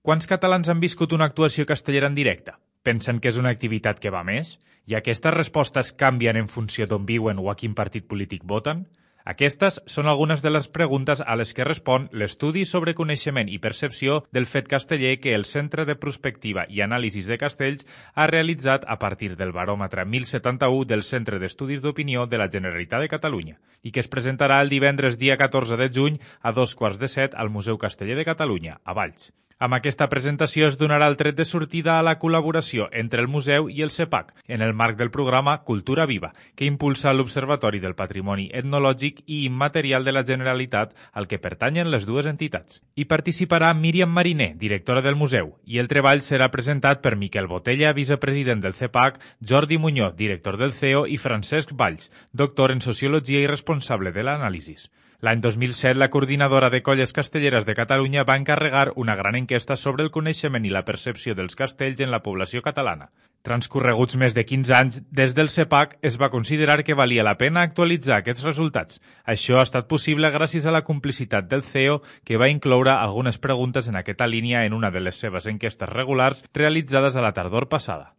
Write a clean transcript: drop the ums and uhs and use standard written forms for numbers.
Quants catalans han viscut una actuació castellera en directe? Pensen que és una activitat que va més? I aquestes respostes canvien en funció d'on viuen o a quin partit polític voten? Aquestes són algunes de les preguntes a les que respon l'estudi sobre coneixement i percepció del fet casteller que el Centre de Prospectiva i Anàlisis de Castells ha realitzat a partir del baròmetre 1071 del Centre d'Estudis d'Opinió de la Generalitat de Catalunya i que es presentarà el divendres dia 14 de juny a 14:45 al Museu Casteller de Catalunya, a Valls. Amb aquesta presentació es donarà el tret de sortida a la col·laboració entre el museu i el CEPAC en el marc del programa Cultura Viva, que impulsa l'Observatori del Patrimoni Etnològic i Immaterial de la Generalitat, al que pertanyen les dues entitats. Hi participarà Míriam Mariner, directora del museu, i el treball serà presentat per Miquel Botella, vicepresident del CEPAC, Jordi Muñoz, director del CEO, i Francesc Valls, doctor en Sociologia i responsable de l'anàlisi. L'any 2007, la coordinadora de colles castelleres de Catalunya va encarregar una gran enquesta sobre el coneixement i la percepció dels castells en la població catalana. Transcorreguts més de 15 anys, des del CEPAC es va considerar que valia la pena actualitzar aquests resultats. Això ha estat possible gràcies a la complicitat del CEO, que va incloure algunes preguntes en aquesta línia en una de les seves enquestes regulars realitzades a la tardor passada.